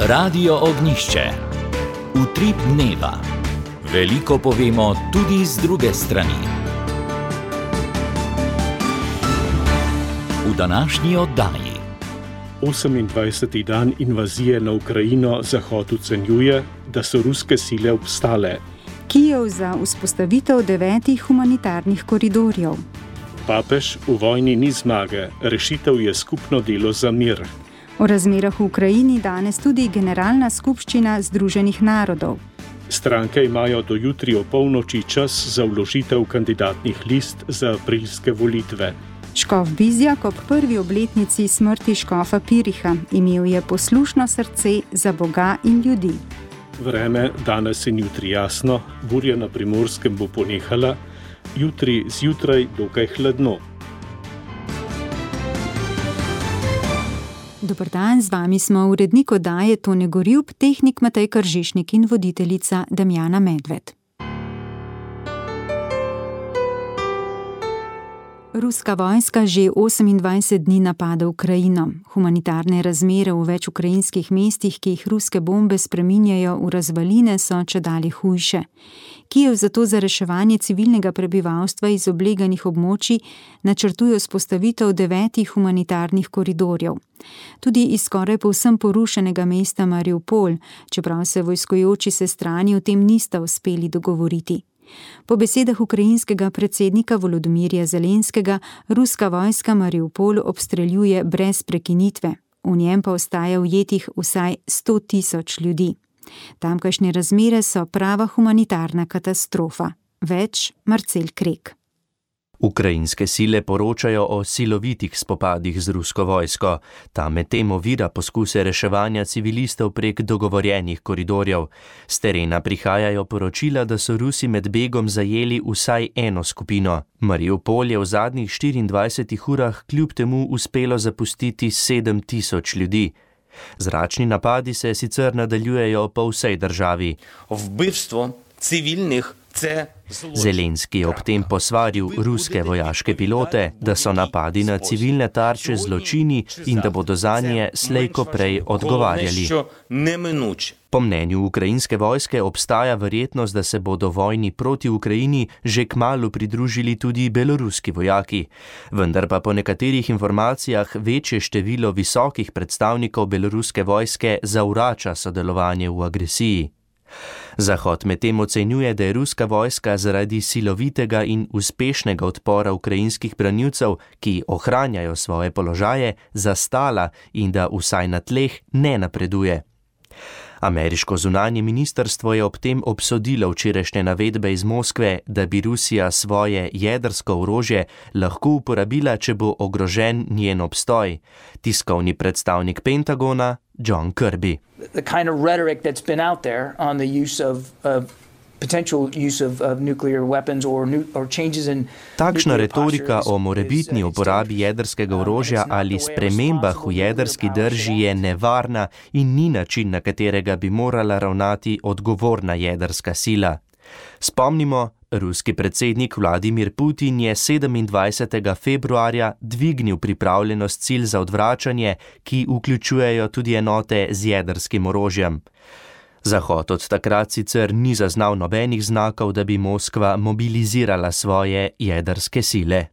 Radio Ognišče. Utrip dneva. Veliko povemo tudi z druge strani. V današnji oddaji. 28. dan invazije na Ukrajino Zahod ocenjuje, da so ruske sile obstale. Kijev za vzpostavitev 9 humanitarnih koridorjev. Papež: v vojni ni zmage, rešitev je skupno delo za mir. O razmerah v Ukrajini danes tudi Generalna skupščina Združenih narodov. Stranke imajo do jutri opolnoči čas za vložitev kandidatnih list za aprilske volitve. Škof Bizjak ob prvi obletnici smrti škofa Piriha imel je poslušno srce za Boga in ljudi. Vreme danes in jutri jasno, burja na Primorskem bo ponehala, jutri zjutraj dokaj hladno. Dober dan, z vami smo urednik oddaje Tone Gorjup, tehnik Matej Kržišnik in voditeljica Damjana Medved. Ruska vojska že 28 dni napada Ukrajino. Humanitarne razmere v več ukrajinskih mestih, ki jih ruske bombe spreminjajo v razvaline, so čedalje hujše. Kijev zato za reševanje civilnega prebivalstva iz obleganih območij načrtuje vzpostavitev 9 humanitarnih koridorjev. Tudi iz skoraj povsem porušenega mesta Mariupol, čeprav se vojskojoči se strani o tem nista uspeli dogovoriti. Po besedah ukrajinskega predsednika Volodymyrja Zelenskega, ruska vojska Mariupol obstreljuje brez prekinitve. V njem pa ostaja ujetih vsaj 100.000 ljudi. Tamkajšnje razmere so prava humanitarna katastrofa. Več Marcel Krek. Ukrajinske sile poročajo o silovitih spopadih z rusko vojsko. Ta medtem ovira poskuse reševanja civilistov prek dogovorjenih koridorjev. S terena prihajajo poročila, da so Rusi med begom zajeli vsaj eno skupino. Mariupol je v zadnjih 24 urah kljub temu uspelo zapustiti 7.000 ljudi. Zračni napadi se sicer nadaljujejo po vsej državi. Vbivstvo civilnih Zelenski je ob tem posvaril ruske vojaške pilote, da so napadi na civilne tarče zločini in da bodo zanje slej ko prej odgovarjali. Po mnenju ukrajinske vojske obstaja verjetnost, da se bodo vojni proti Ukrajini že kmalu pridružili tudi beloruski vojaki. Vendar pa po nekaterih informacijah večje število visokih predstavnikov beloruske vojske zavrača sodelovanje v agresiji. Zahod medtem ocenjuje, da je ruska vojska zaradi silovitega in uspešnega odpora ukrajinskih branilcev, ki ohranjajo svoje položaje, zastala in da vsaj na tleh ne napreduje. Ameriško zunanje ministrstvo je ob tem obsodilo včerajšnje navedbe iz Moskve, da bi Rusija svoje jedrsko orožje lahko uporabila, če bo ogrožen njen obstoj. Tiskovni predstavnik Pentagona John Kirby. The kind of rhetoric that's been out there on the use of potential use of nuclear weapons or changes in. Takšna retorika o morebitni uporabi jedrskega orožja ali spremembah v jedrski drži je nevarna in ni način, na katerega bi morala ravnati odgovorna jedrska sila. Spomnimo, ruski predsednik Vladimir Putin je 27. februarja dvignil pripravljenost sil za odvračanje, ki vključujejo tudi enote z jedrskim orožjem. Zahod od takrat sicer ni zaznal nobenih znakov, da bi Moskva mobilizirala svoje jedrske sile.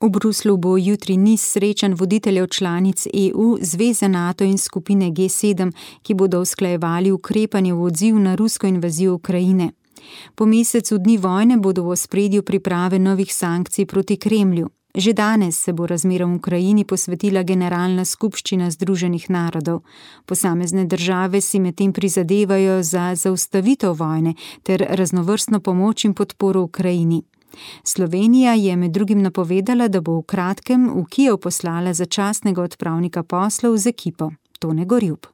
V Bruslju bo jutri niz srečanj voditeljev članic EU, Zveze NATO in skupine G7, ki bodo usklajevali ukrepanje v odziv na rusko invazijo Ukrajine. Po mesecu dni vojne bodo v ospredju priprave novih sankcij proti Kremlju. Že danes se bo razmeram v Ukrajini posvetila Generalna skupščina Združenih narodov. Posamezne države si medtem prizadevajo za zaustavitev vojne ter raznovrstno pomoč in podporo Ukrajini. Slovenija je med drugim napovedala, da bo v kratkem v Kijev poslala začasnega odpravnika poslov z ekipo. Tone Gorjup.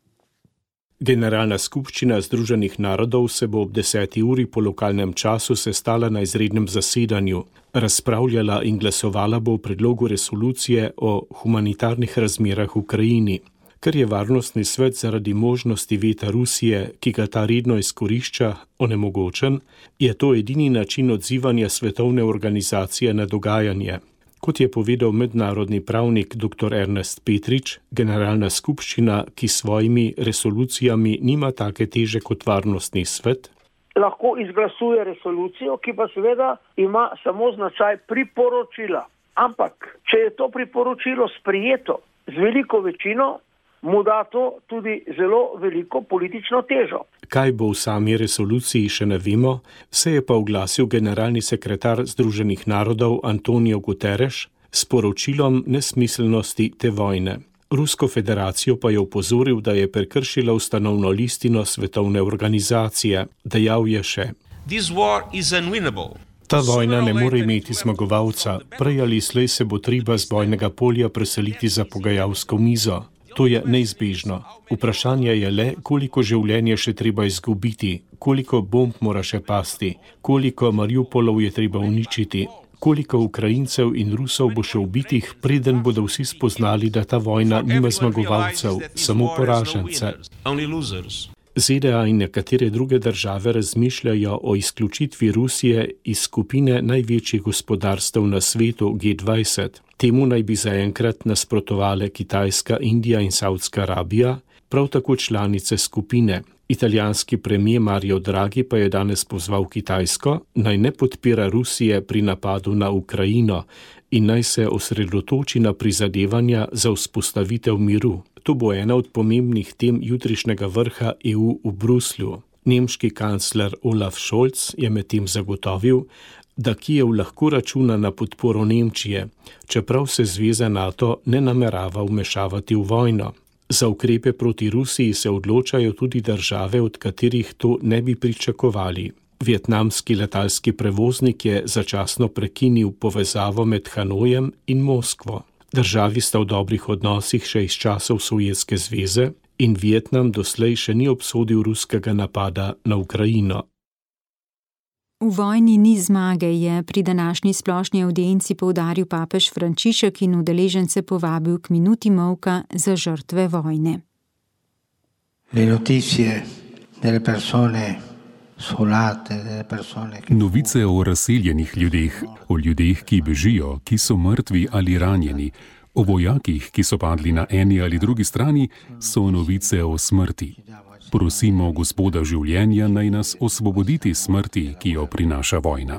Generalna skupščina Združenih narodov se bo ob 10. uri po lokalnem času sestala na izrednem zasedanju. Razpravljala in glasovala bo o predlogu resolucije o humanitarnih razmerah v Ukrajini. Ker je varnostni svet zaradi možnosti veta Rusije, ki ga ta redno izkorišča, onemogočen, je to edini način odzivanja svetovne organizacije na dogajanje. Kot je povedal mednarodni pravnik dr. Ernest Petrič, generalna skupščina, ki s svojimi resolucijami nima take teže kot varnostni svet, lahko izglasuje resolucijo, ki pa seveda ima samo značaj priporočila. Ampak, če je to priporočilo sprejeto z veliko večino, mu da to tudi zelo veliko politično težo. Kaj bo v sami resoluciji, še ne vemo, se je pa oglasil generalni sekretar Združenih narodov Antonio Guterres s poročilom nesmiselnosti te vojne. Rusko federacijo pa je opozoril, da je prekršila ustanovno listino svetovne organizacije. Dejal je še: Ta vojna ne more imeti zmagovalca, prej ali slej se bo treba z bojnega polja preseliti za pogajalsko mizo. To je neizbežno. Vprašanje je le, koliko življenje še treba izgubiti, koliko bomb mora še pasti, koliko Mariupolov je treba uničiti, koliko Ukrajincev in Rusov bo še ubitih, preden bodo vsi spoznali, da ta vojna nima zmagovalcev, samo poražence. ZDA in nekatere druge države razmišljajo o izključitvi Rusije iz skupine največjih gospodarstev na svetu G20. Temu naj bi zaenkrat nasprotovale Kitajska, Indija in Saudska Arabija, prav tako članice skupine. Italijanski premijer Mario Draghi pa je danes pozval Kitajsko, naj ne podpira Rusije pri napadu na Ukrajino in naj se osredotoči na prizadevanja za vzpostavitev miru. To bo ena od pomembnih tem jutrišnjega vrha EU v Bruslju. Nemški kancler Olaf Scholz je medtem zagotovil, da Kijev lahko računa na podporo Nemčije, čeprav se zveza NATO ne namerava vmešavati v vojno. Za ukrepe proti Rusiji se odločajo tudi države, od katerih to ne bi pričakovali. Vietnamski letalski prevoznik je začasno prekinil povezavo med Hanojem in Moskvo. Državi sta v dobrih odnosih še iz časov Sovjetske zveze in Vietnam doslej še ni obsodil ruskega napada na Ukrajino. V vojni ni zmage, je pri današnji splošni avdienci poudaril papež Frančišek in udeležence povabil k minuti molka za žrtve vojne. Novice o razseljenih ljudeh, o ljudeh, ki bežijo, ki so mrtvi ali ranjeni, o vojakih, ki so padli na eni ali drugi strani, so novice o smrti. Prosimo Gospoda življenja, naj nas osvoboditi smrti, ki jo prinaša vojna.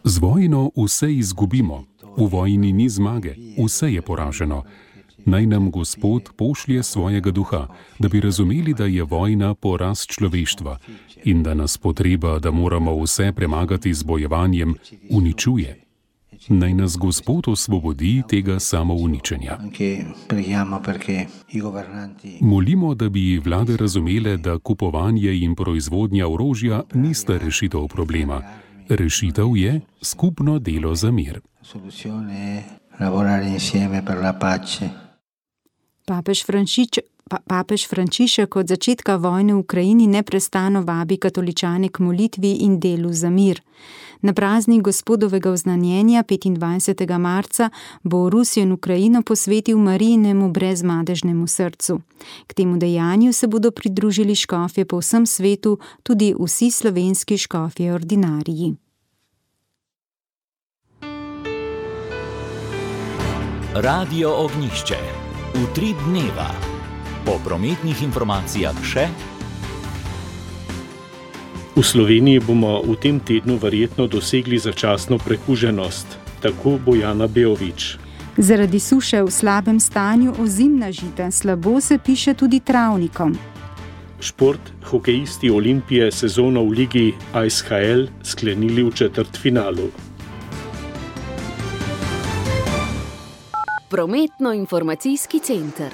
Z vojno vse izgubimo. V vojni ni zmage, vse je poraženo. Naj nam Gospod pošlje svojega duha, da bi razumeli, da je vojna poraz človeštva in da nas potreba, da moramo vse premagati z bojevanjem, uničuje. Naj nas Gospod osvobodi tega samouničenja. Molimo, da bi vlade razumele, da kupovanje in proizvodnja orožja nista rešitev problema. Rešitev je skupno delo za mir. Papež Frančišek od začetka vojne v Ukrajini neprestano vabi katoličane k molitvi in delu za mir. Na praznik Gospodovega oznanjenja 25. marca bo Rusijo in Ukrajino posvetil Marijinemu brezmadežnemu srcu. K temu dejanju se bodo pridružili škofje po vsem svetu, tudi vsi slovenski škofje ordinariji. Radio Ognjišče. Utrip dneva. Po prometnih informacijah še. V Sloveniji bomo v tem tednu verjetno dosegli začasno prekuženost, tako Bojana Beovič. Zaradi suše v slabem stanju ozimna žita slabo se piše tudi travnikom. Šport, hokejisti Olimpije sezono v ligi ISHL sklenili v četrtfinalu. Prometno-informacijski center.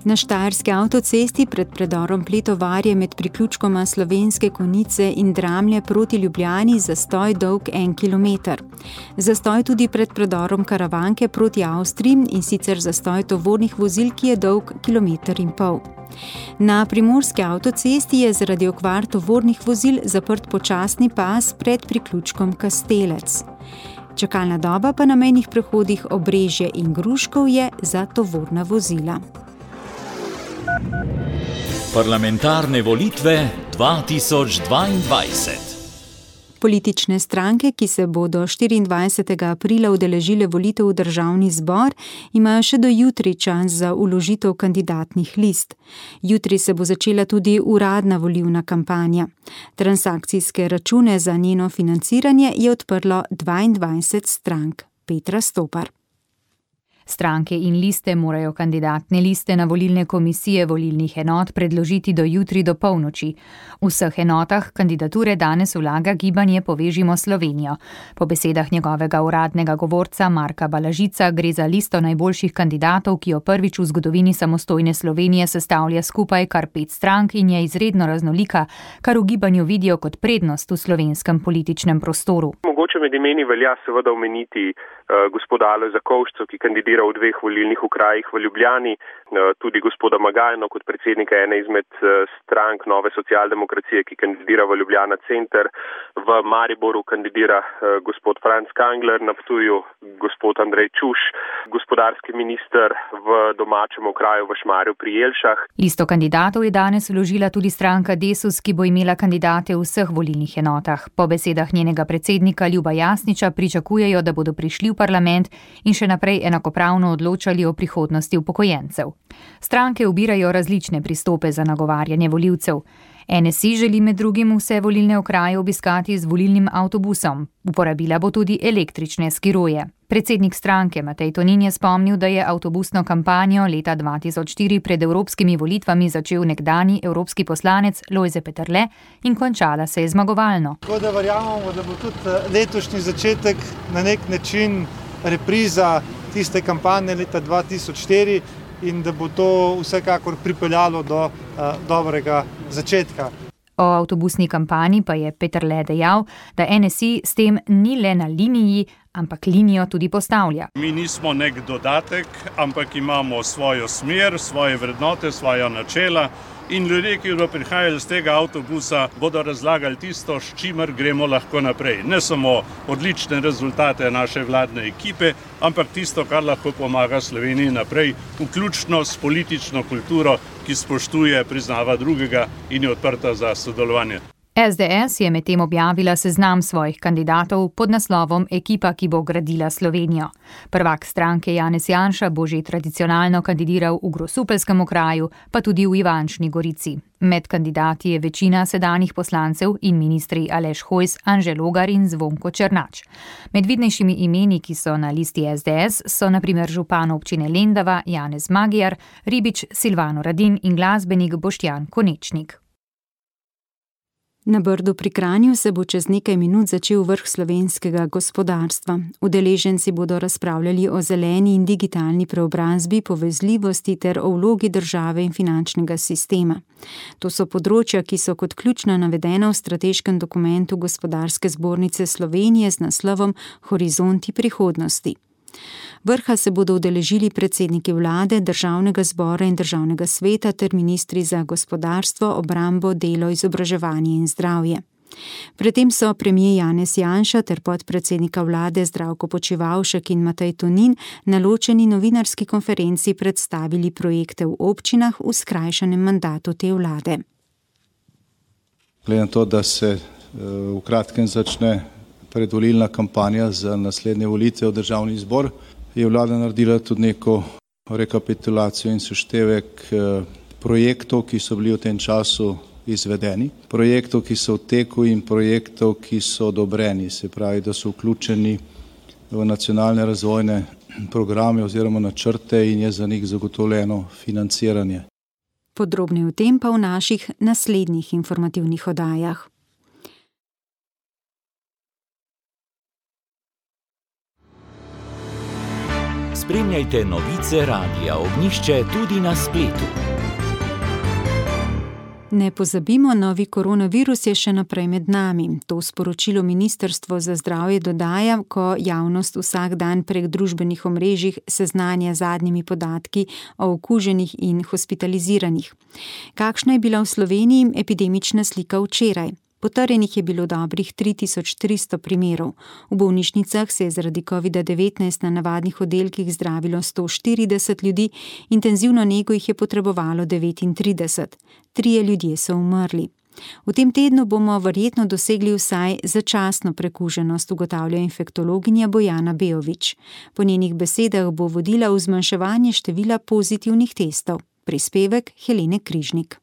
Na štajerski avtocesti pred predorom Pletovarje med priključkoma Slovenske Konjice in Dramlje proti Ljubljani zastoj dolg 1 kilometer. Zastoj tudi pred predorom Karavanke proti Avstriji in sicer zastoj tovornih vozil, ki je dolg 1,5 kilometra. Na primorski avtocesti je zaradi okvar tovornih vozil zaprt počasni pas pred priključkom Kastelec. Čakalna doba pa na mejnih prehodih Obrežje in Gruškov je za tovorna vozila. Parlamentarne volitve 2022. Politične stranke, ki se bodo 24. aprila udeležile volitev v državni zbor, imajo še do jutri čas za vložitev kandidatnih list. Jutri se bo začela tudi uradna volilna kampanja. Transakcijske račune za njeno financiranje je odprlo 22 strank. Petra Stopar. Stranke in liste morajo kandidatne liste na volilne komisije volilnih enot predložiti do jutri do polnoči. V vseh enotah kandidature danes vlaga gibanje Povežimo Slovenijo. Po besedah njegovega uradnega govorca Marka Balažica gre za listo najboljših kandidatov, ki jo prvič v zgodovini samostojne Slovenije sestavlja skupaj kar 5 strank in je izredno raznolika, kar v gibanju vidijo kot prednost v slovenskem političnem prostoru. Mogoče med imeni velja seveda omeniti gospoda Alojza Kovšco, ki kandidira v 2 volilnih okrajih v Ljubljani, tudi gospoda Magajno kot predsednika ene izmed strank Nove socialdemokracije, ki kandidira v Ljubljana Center. V Mariboru kandidira gospod Franc Kangler, na Ptuju gospod Andrej Čuš, gospodarski minister v domačem okraju v Šmarju pri Jelšah. Listo kandidatov je danes vložila tudi stranka Desus, ki bo imela kandidate v vseh volilnih enotah. Po besedah njenega predsednika Ljuba Jasniča pričakujejo, da bodo prišli v parlament in še naprej enakopravno odločali o prihodnosti upokojencev. Stranke ubirajo različne pristope za nagovarjanje volivcev. NSI želi med drugim vse volilne okraje obiskati z volilnim avtobusom. Uporabila bo tudi električne skiroje. Predsednik stranke Matej Tonin je spomnil, da je avtobusno kampanjo leta 2004 pred evropskimi volitvami začel nekdanji evropski poslanec Lojze Peterle in končala se je zmagovalno. Tako da verjamemo, da bo tudi letošnji začetek na nek način repriza tiste kampanje leta 2004 in da bo to vsekakor pripeljalo do dobrega začetka. O avtobusni kampanji pa je Peterle dejal, da NSI s tem ni le na liniji, ampak linijo tudi postavlja. Mi nismo nek dodatek, ampak imamo svojo smer, svoje vrednote, svoja načela in ljudje, ki bodo prihajali z tega avtobusa, bodo razlagali tisto, s čimer gremo lahko naprej. Ne samo odlične rezultate naše vladne ekipe, ampak tisto, kar lahko pomaga Sloveniji naprej, vključno s politično kulturo, ki spoštuje, priznava drugega in je odprta za sodelovanje. SDS je medtem objavila seznam svojih kandidatov pod naslovom Ekipa, ki bo gradila Slovenijo. Prvak stranke Janez Janša bo že tradicionalno kandidiral v Grosupeljskem okraju, pa tudi v Ivančni Gorici. Med kandidati je večina sedanjih poslancev in ministri Aleš Hojs, Anže Logar in Zvonko Černač. Med vidnejšimi imeni, ki so na listi SDS, so na primer župan občine Lendava Janez Magyar, ribič Silvano Radin in glasbenik Boštjan Konečnik. Na Brdu pri Kranju se bo čez nekaj minut začel vrh slovenskega gospodarstva. Udeleženci bodo razpravljali o zeleni in digitalni preobrazbi, povezljivosti ter o vlogi države in finančnega sistema. To so področja, ki so kot ključna navedena v strateškem dokumentu Gospodarske zbornice Slovenije z naslovom Horizonti prihodnosti. Vrha se bodo udeležili predsedniki vlade, državnega zbora in državnega sveta ter ministri za gospodarstvo, obrambo, delo, izobraževanje in zdravje. Predtem so premier Janez Janša ter podpredsednika vlade Zdravko Počivalšek in Matej Tonin na ločeni novinarski konferenci predstavili projekte v občinah v skrajšanem mandatu te vlade. Glede na to, da se v kratkem začne predvolilna kampanja za naslednje volitve v državni zbor, je vlada naredila tudi neko rekapitulacijo in seštevek projektov, ki so bili v tem času izvedeni, projektov, ki so v teku in projektov, ki so odobreni, se pravi, da so vključeni v nacionalne razvojne programe oziroma načrte in je za njih zagotovljeno financiranje. Podrobneje o tem pa v naših naslednjih informativnih oddajah. Spremljajte novice Radia Ognjišče tudi na spletu. Ne pozabimo, novi koronavirus je še naprej med nami. To sporočilo Ministrstvo za zdravje dodaja, ko javnost vsak dan prek družbenih omrežij seznanja zadnjimi podatki o okuženih in hospitaliziranih. Kakšna je bila v Sloveniji epidemična slika včeraj? Potrjenih je bilo dobrih 3300 primerov. V bolnišnicah se je zaradi COVID-19 na navadnih oddelkih zdravilo 140 ljudi, intenzivno nego jih je potrebovalo 39. 3 ljudje so umrli. V tem tednu bomo verjetno dosegli vsaj začasno prekuženost, ugotavlja infektologinja Bojana Bejović. Po njenih besedah bo vodila v zmanjševanje števila pozitivnih testov. Prispevek Helene Križnik.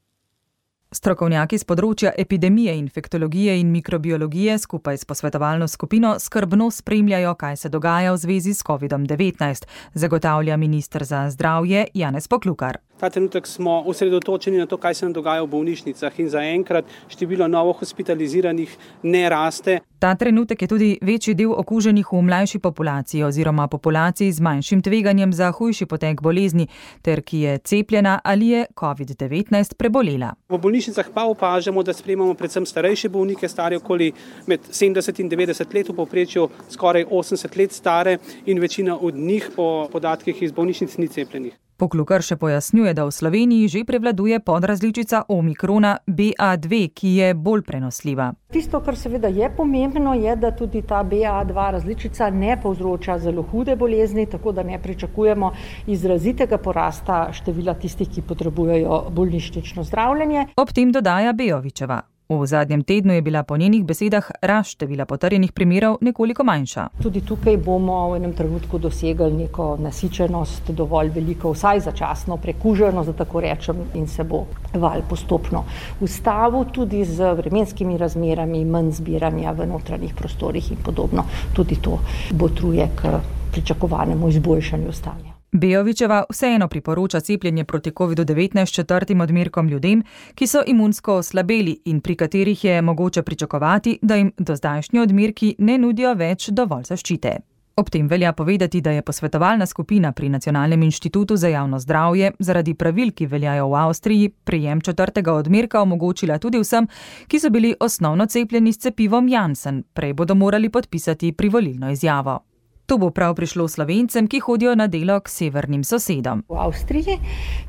Strokovnjaki z področja epidemije, infektologije in mikrobiologije skupaj s posvetovalno skupino skrbno spremljajo, kaj se dogaja v zvezi s COVID-19, zagotavlja minister za zdravje Janez Poklukar. Ta trenutek smo osredotočeni na to, kaj se nam dogaja v bolnišnicah in zaenkrat število novo hospitaliziranih ne raste. Ta trenutek je tudi večji del okuženih v mlajši populaciji oziroma populaciji z manjšim tveganjem za hujši potek bolezni, ter ki je cepljena ali je COVID-19 prebolela. V bolnišnicah pa opažamo, da sprejemamo predvsem starejše bolnike, stare okoli med 70 in 90 let, v povprečju skoraj 80 let stare in večina od njih po podatkih iz bolnišnic ni cepljenih. Poklukar še pojasnjuje, da v Sloveniji že prevladuje podrazličica omikrona BA2, ki je bolj prenosljiva. Tisto, kar seveda je pomembno, je, da tudi ta BA2 različica ne povzroča zelo hude bolezni, tako da ne pričakujemo izrazitega porasta števila tistih, ki potrebujejo bolnišnično zdravljenje. Ob tem dodaja Bejovićeva. V zadnjem tednu je bila po njenih besedah rast števila potrjenih primerov nekoliko manjša. Tudi tukaj bomo v enem trenutku dosegli neko nasičenost, dovolj veliko, vsaj začasno prekuženost, da tako rečem, in se bo val postopno ustavil, tudi z vremenskimi razmerami, manj zbiranja v notranjih prostorih in podobno. Tudi to botruje k pričakovanemu izboljšanju stanja. Bejovićeva vseeno priporoča cepljenje proti COVID-19 četrtim odmerkom ljudem, ki so imunsko oslabeli in pri katerih je mogoče pričakovati, da jim dozdajšnji odmerki ne nudijo več dovolj zaščite. Ob tem velja povedati, da je posvetovalna skupina pri Nacionalnem inštitutu za javno zdravje zaradi pravil, ki veljajo v Avstriji, prejem četrtega odmerka omogočila tudi vsem, ki so bili osnovno cepljeni s cepivom Janssen. Prej bodo morali podpisati privolilno izjavo. To bo prav prišlo Slovencem, ki hodijo na delo k severnim sosedom. V Avstriji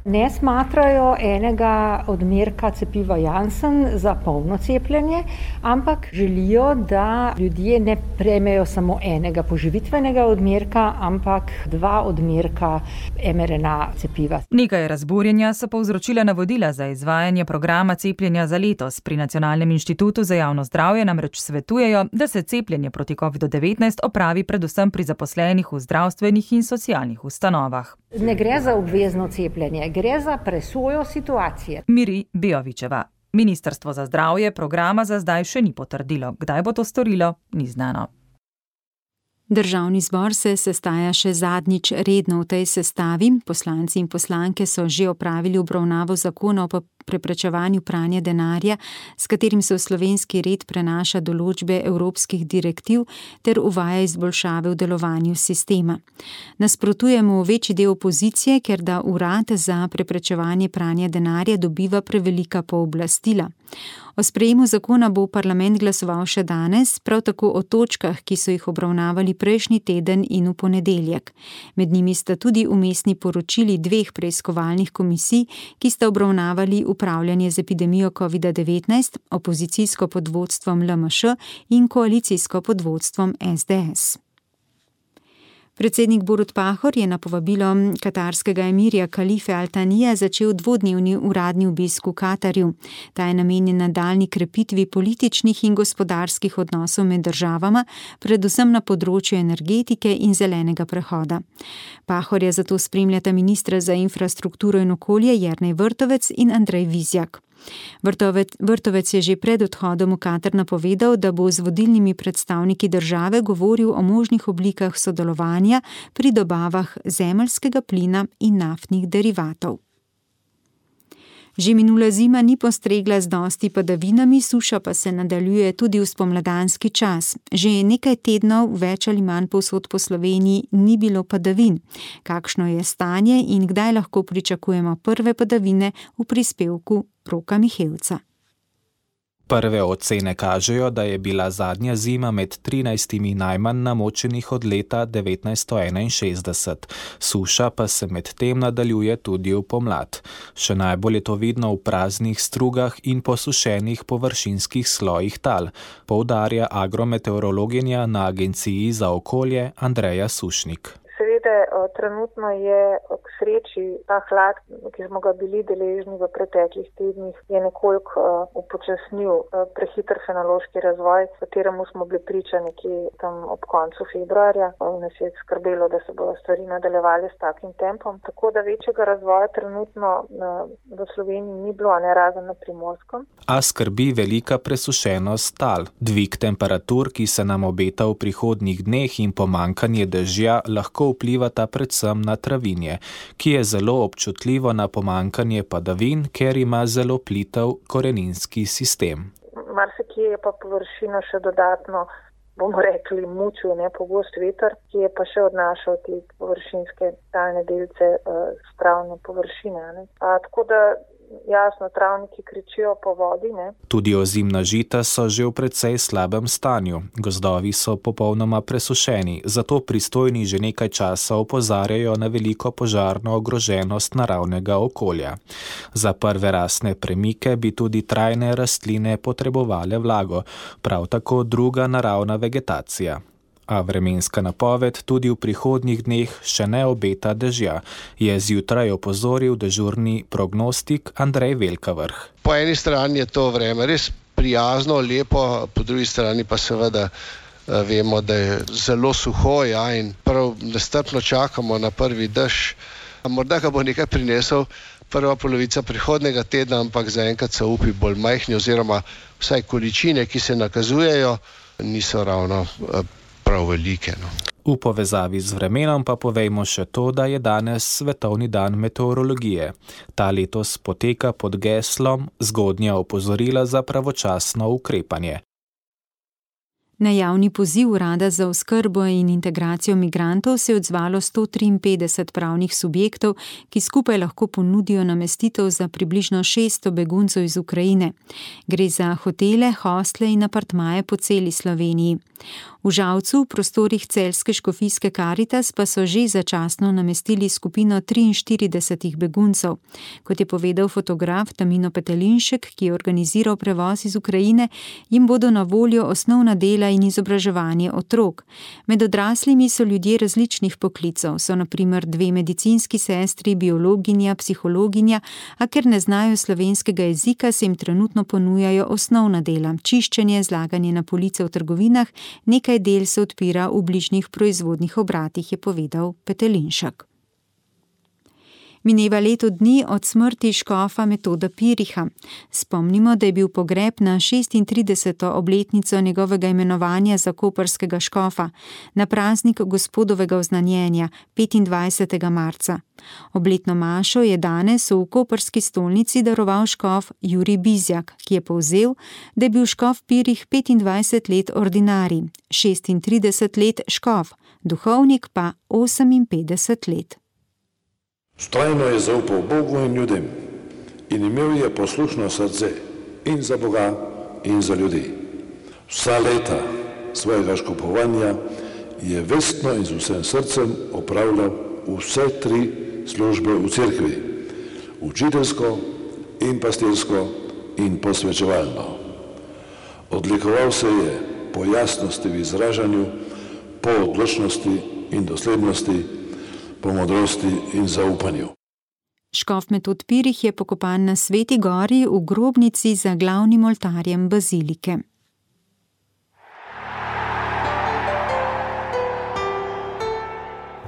ne smatrajo enega odmerka cepiva Janssen za polno cepljenje, ampak želijo, da ljudje ne prejmejo samo enega poživitvenega odmerka, ampak 2 odmerka mRNA cepiva. Nekaj razburjenja so povzročila navodila za izvajanje programa cepljenja za letos. Pri Nacionalnem inštitutu za javno zdravje namreč svetujejo, da se cepljenje proti COVID-19 opravi predvsem pri zaposlenih v zdravstvenih in socialnih ustanovah. Ne gre za obvezno cepljenje, gre za presojo situacije. Miri Bejovićeva. Ministrstvo za zdravje programa za zdaj še ni potrdilo. Kdaj bo to storilo, ni znano. Državni zbor se sestaja še zadnjič redno v tej sestavi. Poslanci in poslanke so že opravili obravnavo zakona o preprečevanju pranja denarja, s katerim se v slovenski red prenaša določbe evropskih direktiv ter uvaja izboljšave v delovanju sistema. Nasprotujemo večji del opozicije, ker da urad za preprečevanje pranja denarja dobiva prevelika pooblastila. O sprejemu zakona bo parlament glasoval še danes, prav tako o točkah, ki so jih obravnavali prejšnji teden in v ponedeljek. Med njimi sta tudi vmesni poročili 2 preiskovalnih komisij, ki sta obravnavali upravljanje z epidemijo COVID-19, opozicijsko pod vodstvom LMŠ in koalicijsko pod vodstvom SDS. Predsednik Borut Pahor je na povabilo katarskega emirja Kalife Al Thanija začel 2-dnevni uradni obisk v Katarju. Ta je namenjen nadaljnji krepitvi političnih in gospodarskih odnosov med državama, predvsem na področju energetike in zelenega prehoda. Pahorja zato spremljata ministra za infrastrukturo in okolje Jernej Vrtovec in Andrej Vizjak. Vrtovec je že pred odhodom v Katar napovedal, da bo z vodilnimi predstavniki države govoril o možnih oblikah sodelovanja pri dobavah zemeljskega plina in naftnih derivatov. Že minula zima ni postregla z dosti padavinami, suša pa se nadaljuje tudi v spomladanski čas. Že nekaj tednov, več ali manj povsod po Sloveniji, ni bilo padavin. Kakšno je stanje in kdaj lahko pričakujemo prve padavine, v prispevku Roka Mihevca. Prve ocene kažejo, da je bila zadnja zima med 13 najmanj namočenih od leta 1961. Suša pa se med tem nadaljuje tudi v pomlad. Še najbolj je to vidno v praznih strugah in posušenih površinskih slojih tal, poudarja agrometeorologinja na Agenciji za okolje Andreja Sušnik. Seveda, trenutno je sreči ta hlad, ki smo ga bili deležni v preteklih tednih, je nekoliko upočasnil prehiter fenološki razvoj, kateremu smo bili priča nekje tam ob koncu februarja. Nas je skrbelo, da se bodo stvari nadaljevali s takim tempom. Tako da večjega razvoja trenutno v Sloveniji ni bilo, ne razen na Primorskem. A skrbi velika presušenost tal. Dvig temperatur, ki se nam obeta v prihodnjih dneh in pomanjkanje dežja lahko vplivata predvsem na travinje, ki je zelo občutljivo na pomanjkanje padavin, ker ima zelo plitev koreninski sistem. Marsikje je pa površina še dodatno, bomo rekli, mučil, pogost veter, ki je pa še odnašal te površinske talne delce s travne površine. Tako da jasno, travniki kričijo po vodi. Tudi ozimna žita so že v precej slabem stanju. Gozdovi so popolnoma presušeni, zato pristojni že nekaj časa opozarjajo na veliko požarno ogroženost naravnega okolja. Za prve rastne premike bi tudi trajne rastline potrebovale vlago, prav tako druga naravna vegetacija. A vremenska napoved tudi v prihodnjih dneh še ne obeta dežja, je zjutraj opozoril dežurni prognostik Andrej Velkavrh. Po eni strani je to vreme res prijazno, lepo, po drugi strani pa seveda vemo, da je zelo suho in prav nestrpno čakamo na prvi dež. Morda ga bo nekaj prinesel prva polovica prihodnega tedna, ampak zaenkrat so upi bolj majhni oziroma vsaj količine, ki se nakazujejo, niso ravno prav velike. V povezavi z vremenom pa povejmo še to, da je danes svetovni dan meteorologije. Ta letos poteka pod geslom Zgodnja opozorila za pravočasno ukrepanje. Na javni poziv Urada za oskrbo in integracijo migrantov se je odzvalo 153 pravnih subjektov, ki skupaj lahko ponudijo namestitev za približno 600 beguncev iz Ukrajine. Gre za hotele, hostle in apartmaje po celi Sloveniji. V Žalcu, v prostorih celjske škofijske Karitas, pa so že začasno namestili skupino 43 beguncev. Kot je povedal fotograf Tamino Petelinšek, ki je organiziral prevoz iz Ukrajine, jim bodo na voljo osnovna dela in izobraževanje otrok. Med odraslimi so ljudje različnih poklicev, so na primer 2 medicinski sestri, biologinja, psihologinja, a ker ne znajo slovenskega jezika, se jim trenutno ponujajo osnovna dela, čiščenje, zlaganje na police v trgovinah, nekaj del se odpira v bližnjih proizvodnih obratih, je povedal Petelinšek. Mineva leto dni od smrti škofa Metoda Piriha. Spomnimo, da je bil pogreb na 36. obletnico njegovega imenovanja za koprskega škofa, na praznik gospodovega oznanjenja 25. marca. Obletno mašo je danes v koprski stolnici daroval škof Jurij Bizjak, ki je povzel, da je bil škof Pirih 25 let ordinarij, 36 let škof, duhovnik pa 58 let. Vztrajno je zaupal Bogu in ljudem in imel je poslušno srce in za Boga in za ljudi. Vsa leta svojega škopovanja je vestno in z vsem srcem opravljal vse 3 službe v cerkvi, učiteljsko in pastirsko in posvečevalno. Odlikoval se je po jasnosti v izražanju, po odločnosti in doslednosti, po modrosti in zaupanju. Škof Metod Pirih je pokopan na Sveti gori v grobnici za glavnim oltarjem bazilike.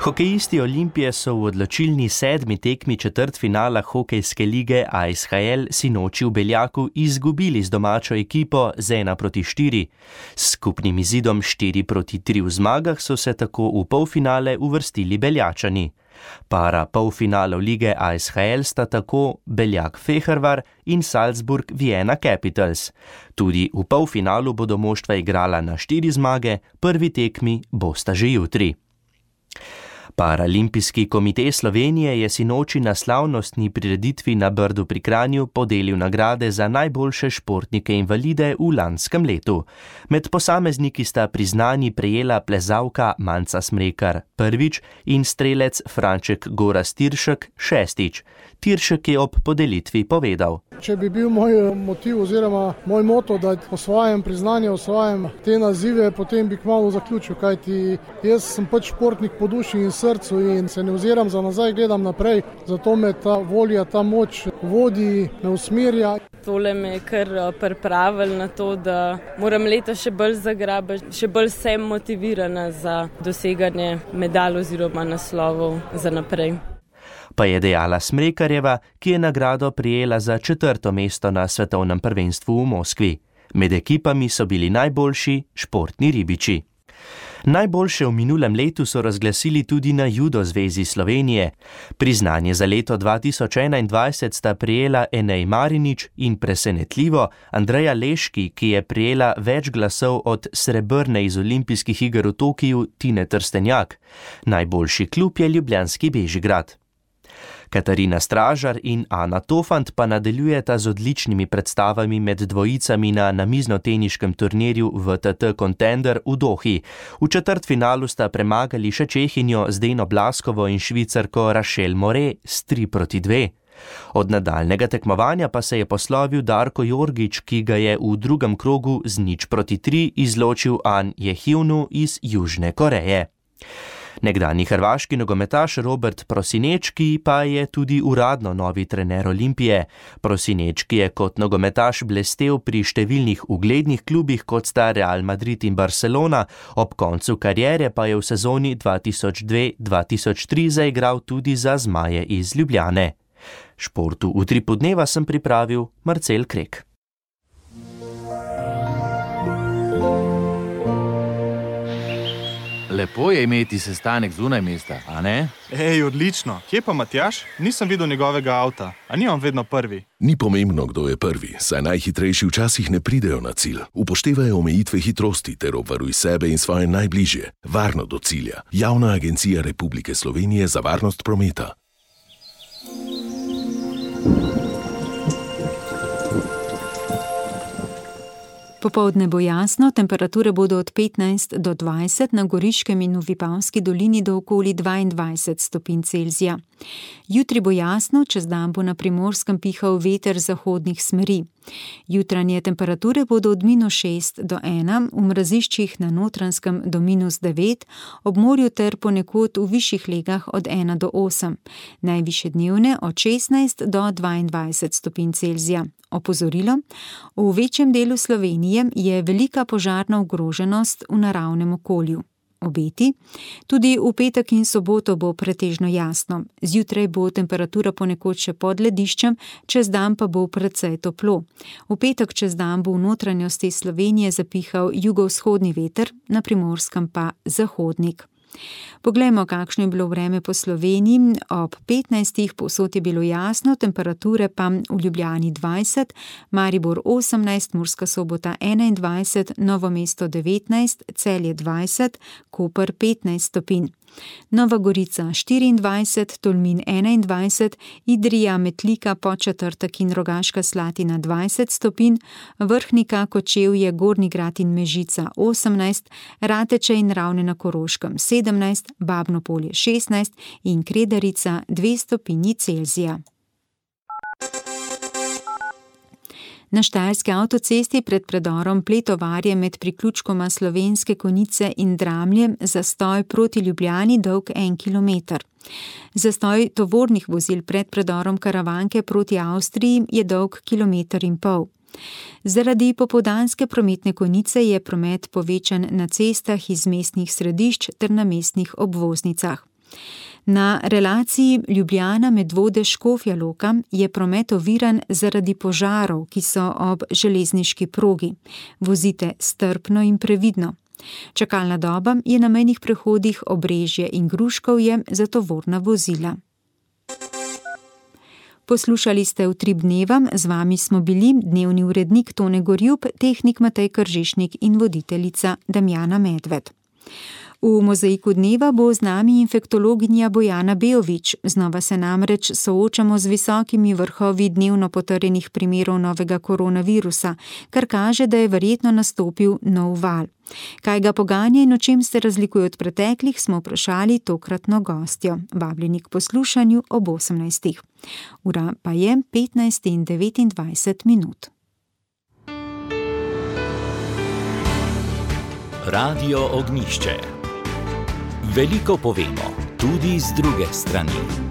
Hokejisti Olimpije so v odločilni 7. tekmi četrtfinala hokejske lige ASHL sinoči v Beljaku izgubili z domačo ekipo z 1-4. S skupnim izidom 4-3 v zmagah so se tako v polfinale uvrstili Beljačani. Para polfinalov lige ASHL sta tako Beljak Fehervar in Salzburg Vienna Capitals. Tudi v polfinalu bodo moštva igrala na 4 zmage, prvi tekmi bosta že jutri. Paralimpijski komite Slovenije je sinoči na slavnostni prireditvi na Brdu pri Kranju podelil nagrade za najboljše športnike invalide v lanskem letu. Med posamezniki sta priznanji prejela plezalka Manca Smrekar prvič in strelec Franček Gorazd Tiršek šestič. Tiršek je ob podelitvi povedal: Če bi bil moj motiv oziroma moj moto, da osvajam priznanje, osvajam te nazive, potem bi kmalu zaključil, kajti jaz sem pač športnik po duši in srcu in se ne oziram za nazaj, gledam naprej, zato me ta volja, ta moč vodi, me usmerja. Tole me je kar pripravil na to, da moram letos še bolj zagrabiti, še bolj sem motivirana za doseganje medalj oziroma naslovov za naprej. Pa je dejala Smrekarjeva, ki je nagrado prijela za 4. mesto na svetovnem prvenstvu v Moskvi. Med ekipami so bili najboljši športni ribiči. Najboljše v minulem letu so razglasili tudi na Judo zvezi Slovenije. Priznanje za leto 2021 sta prijela Enej Marinič in presenetljivo Andreja Leški, ki je prijela več glasov od srebrne iz olimpijskih iger v Tokiju Tine Trstenjak. Najboljši klub je ljubljanski Bežigrad. Katarina Stražar in Ana Tofant pa nadaljujeta z odličnimi predstavami med dvojicami na namiznoteniškem turnirju VTT Contender v Dohi. V četrtfinalu sta premagali še Čehinjo Zdeno Blaskovo in Švicarko Rachel More s 3-2. Od nadaljnega tekmovanja pa se je poslovil Darko Jorgič, ki ga je v drugem krogu z 0-3 izločil An Jehivnu iz Južne Koreje. Nekdanji hrvaški nogometaš Robert Prosinečki pa je tudi uradno novi trener Olimpije. Prosinečki je kot nogometaš blestel pri številnih uglednih klubih, kot sta Real Madrid in Barcelona, ob koncu kariere pa je v sezoni 2002-2003 zaigral tudi za Zmaje iz Ljubljane. Športu v Utripu dneva sem pripravil Marcel Krek. Lepo je imeti sestanek zunaj mesta, a ne? Ej, odlično. Kje pa Matjaž? Nisem videl njegovega avta. A ni on vedno prvi? Ni pomembno, kdo je prvi, saj najhitrejši včasih ne pridejo na cilj. Upoštevajo omejitve hitrosti ter obvaruj sebe in svoje najbližje. Varno do cilja. Javna agencija Republike Slovenije za varnost prometa. Popoldne bo jasno, temperature bodo od 15 do 20, na Goriškem in v Vipavski dolini do okoli 22 stopinj Celzija. Jutri bo jasno, čez dan bo na Primorskem pihal veter zahodnih smeri. Jutranje temperature bodo od -6 do 1, v mraziščih na Notranjskem do -9, ob morju ter ponekod v višjih legah od 1 do 8. Najvišje dnevne od 16 do 22 stopinj Celzija. Opozorilo: v večjem delu Slovenije je velika požarna ogroženost v naravnem okolju. Obeti: tudi v petek in soboto bo pretežno jasno. Zjutraj bo temperatura ponekod še pod lediščem, čez dan pa bo precej toplo. V petek čez dan bo v notranjosti Slovenije zapihal jugovzhodni veter, na Primorskem pa zahodnik. Poglejmo, kakšno je bilo vreme po Sloveniji. Ob 15. povsod je bilo jasno, temperature pa v Ljubljani 20, Maribor 18, Murska Sobota 21, Novo mesto 19, Celje 20, Koper 15 stopinj. Nova Gorica 24, Tolmin 21, Idrija, Metlika, Podčetrtek in Rogaška Slatina 20 stopinj, Vrhnika, Kočevje, Gornji Grad in Mežica 18, Rateče in Ravne na Koroškem 17, Babno Polje 16 in Kredarica 2 stopinji Celzija. Na štajerski avtocesti pred predorom Pletovarje med priključkoma Slovenske Konjice in Dramlje zastoj proti Ljubljani dolg 1 kilometer. Zastoj tovornih vozil pred predorom Karavanke proti Avstriji je dolg 1,5 kilometra. Zaradi popoldanske prometne konice je promet povečan na cestah iz mestnih središč ter na mestnih obvoznicah. Na relaciji Ljubljana-Medvode-Škofja Loka je promet oviran zaradi požarov, ki so ob železniški progi. Vozite strpno in previdno. Čakalna doba je na mejnih prehodih Obrežje in Gruškovje za tovorna vozila. Poslušali ste Utrip dneva, z vami smo bili dnevni urednik Tone Gorjup, tehnik Matej Kržišnik in voditeljica Damjana Medved. V mozaiku dneva bo z nami infektologinja Bojana Bejović. Znova se namreč soočamo z visokimi vrhovi dnevno potrjenih primerov novega koronavirusa, kar kaže, da je verjetno nastopil nov val. Kaj ga poganja in o čem se razlikuje od preteklih, smo vprašali tokratno gostjo. Vabljeni k poslušanju ob 18. Ura pa je 15:29. Radio Ognjišče. Veliko povemo, tudi z druge strani.